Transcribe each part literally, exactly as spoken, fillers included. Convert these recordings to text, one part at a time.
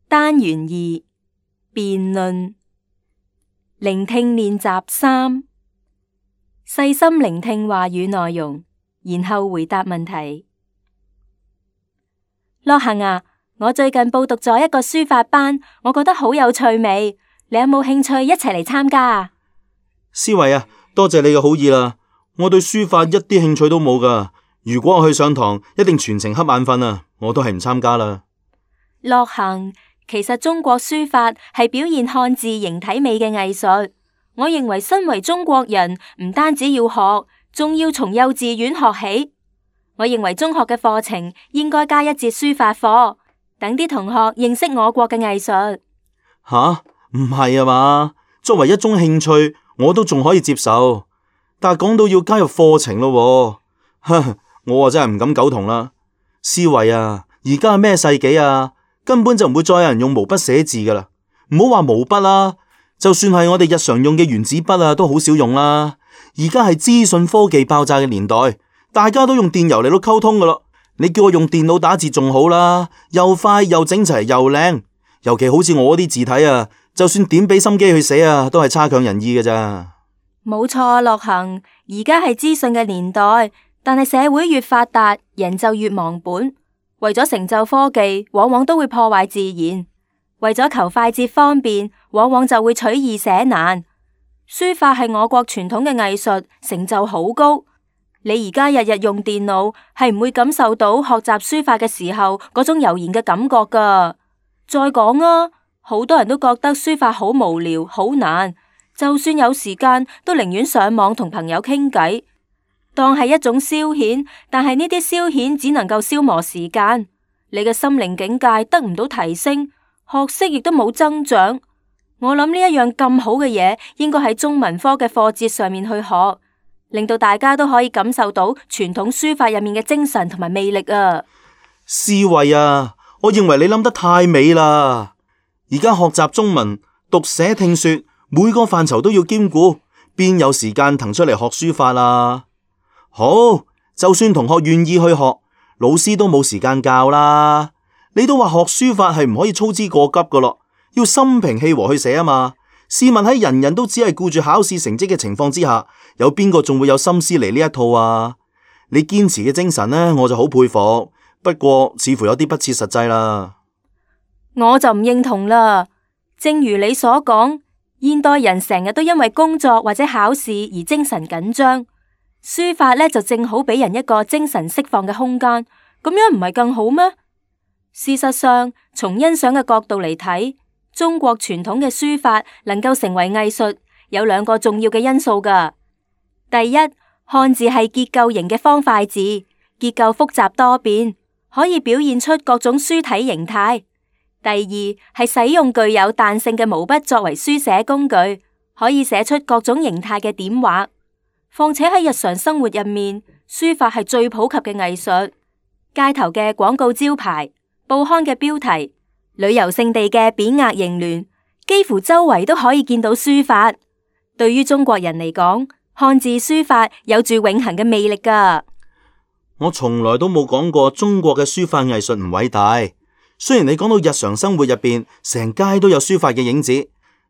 單元二辯論。聆聽練習三，細心聆聽話語內容，然後回答問題。樂行啊，我最近報讀咗一個書法班，我覺得好有趣味，你有冇興趣一齊嚟參加啊？思維啊，多謝你嘅好意啦，我對書法一啲興趣都冇噶，如果我去上堂，一定全程瞌眼瞓啊，我都係唔參加啦。樂行，其實中國書法係表現漢字形體美嘅藝術。我認為身為中國人，唔單止要學，仲要從幼稚園學起。我認為中學嘅課程應該加一節書法課，等啲同學認識我國嘅藝術。吓，唔係啊嘛？作為一種興趣，我都仲可以接受，但係講到要加入課程咯，呵，我啊真係唔敢苟同啦。思維啊，而家係咩世紀啊？根本就唔會再有人用毛筆寫字噶啦，唔好話毛筆啦，就算係我哋日常用嘅原子筆啊，都好少用啦。而家係資訊科技爆炸嘅年代，大家都用電郵嚟到溝通噶咯。你叫我用電腦打字仲好啦，又快又整齊又靚。尤其好似我啲字體啊，就算點俾心機去寫啊，都係差強人意㗎咋。冇錯，樂行，而家係資訊嘅年代，但係社會越發達，人就越忘本。為咗成就科技，往往都會破壞自然；為咗求快捷方便，往往就會取易寫難。書法係我國傳統嘅藝術，成就好高。你而家日日用電腦，係唔會感受到學習書法嘅時候嗰種悠然嘅感覺㗎。再講啊，好多人都覺得書法好無聊、好難，就算有時間，都寧願上網同朋友傾偈，當係一種消遣。但係呢啲消遣只能夠消磨時間，你嘅心靈境界得唔到提升，學識亦都冇增長。我諗呢一樣咁好嘅嘢，應該喺中文科嘅課節上面去學，令到大家都可以感受到傳統書法入面嘅精神同埋魅力啊！思維啊，我認為你諗得太美啦！而家學習中文，讀寫聽說，每個範疇都要兼顧，邊有時間騰出嚟學書法啊？好，就算同學願意去學，老師都冇時間教啦。你都話學書法係唔可以操之過急噶咯，要心平氣和去寫啊嘛。試問喺人人都只係顧住考試成績嘅情況之下，有邊個仲會有心思嚟呢一套啊？你堅持嘅精神呢，我就好佩服。不過似乎有啲不切實際啦。我就唔認同啦。正如你所講，現代人成日都因為工作或者考試而精神緊張，書法呢就正好俾人一個精神釋放嘅空間，咁樣唔係更好咩？事實上，從欣賞嘅角度嚟睇，中國傳統嘅書法能夠成為藝術，有兩個重要嘅因素㗎。第一，漢字係結構型嘅方塊字，結構複雜多變，可以表現出各種書體形態。第二，係使用具有彈性嘅毛筆作為書寫工具，可以寫出各種形態嘅點畫。況且喺日常生活入面，書法係最普及嘅藝術。街頭嘅廣告招牌、報刊嘅標題、旅遊勝地嘅匾額楹聯，幾乎周圍都可以見到書法。對於中國人嚟講，漢字書法有住永恆嘅魅力㗎。我從來都冇講過中國嘅書法藝術唔偉大。雖然你講到日常生活入邊，成街都有書法嘅影子，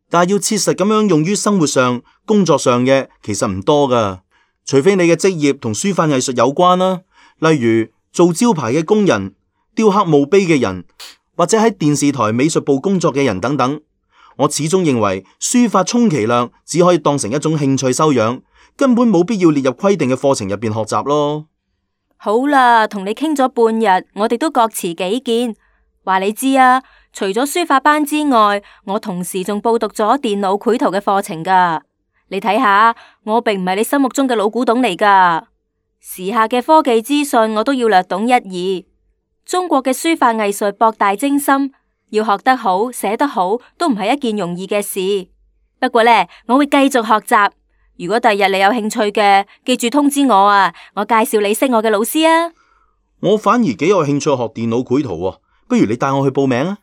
但係要切實咁樣用於生活上、工作上嘅，其實唔多噶。除非你嘅職業同書法藝術有關啦，例如做招牌嘅工人、雕刻墓碑嘅人，或者喺電視台美術部工作嘅人等等。我始終認為書法充其量只可以當成一種興趣修養，根本冇必要列入規定嘅課程入邊學習咯。好啦，同你傾咗半日，我哋都各持己見。話你知啊，除咗書法班之外，我同時仲報讀咗電腦繪圖嘅課程噶。你睇下，我並唔係你心目中嘅老古董嚟噶。時下嘅科技資訊，我都要略懂一二。中國嘅書法藝術博大精深，要學得好、寫得好，都唔係一件容易嘅事。不過呢，我會繼續學習。如果第日你有興趣嘅，記住通知我啊，我介紹你識我嘅老師啊。我反而幾有興趣學電腦繪圖喎。不如你帶我去報名啊！